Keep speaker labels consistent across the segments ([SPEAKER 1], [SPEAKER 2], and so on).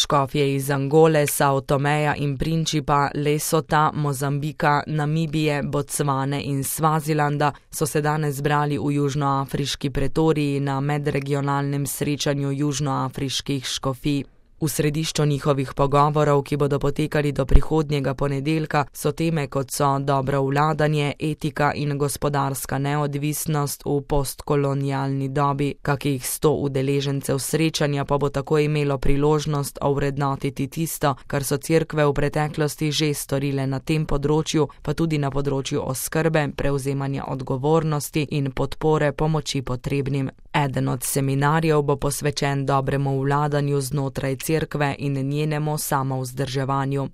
[SPEAKER 1] Škofje iz Angole, Sao Tomeja in Principa, Lesota, Mozambika, Namibije, Bocvane in Svazilanda so se danes zbrali v južnoafriški pretoriji na medregionalnem srečanju južnoafriških škofij. V središču njihovih pogovorov, ki bodo potekali do prihodnjega ponedeljka, so teme kot so dobro vladanje, etika in gospodarska neodvisnost v postkolonialni dobi. Kakih 100 udeležencev srečanja pa bo tako imelo priložnost ovrednotiti tisto, kar so cerkve v preteklosti že storile na tem področju, pa tudi na področju oskrbe, prevzemanja odgovornosti in podpore pomoči potrebnim. Eden od seminarjev bo posvečen dobremu vladanju znotraj cerkve in njenemu samovzdrževanju.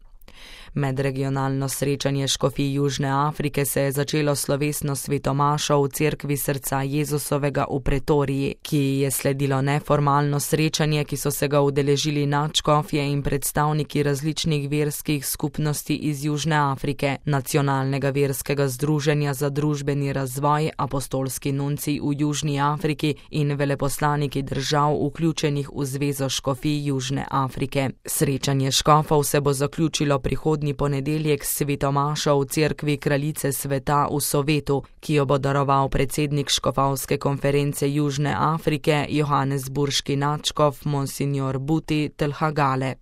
[SPEAKER 1] Medregionalno srečanje škofij Južne Afrike se je začelo slovesno svetomašo v cerkvi srca Jezusovega v Pretoriji, ki je sledilo neformalno srečanje, ki so se ga udeležili nadškofje in predstavniki različnih verskih skupnosti iz Južne Afrike, Nacionalnega verskega združenja za družbeni razvoj, apostolski nuncij v Južni Afriki in veleposlaniki držav vključenih v Zvezo škofij Južne Afrike. Srečanje škofov se bo zaključilo prihodnji ponedeljek s svetomašo v cerkvi Kraljice sveta v Sovetu, ki jo bo daroval predsednik škofovske konference Južne Afrike, johannesburški nadškof Monsignor Buti Telhagale.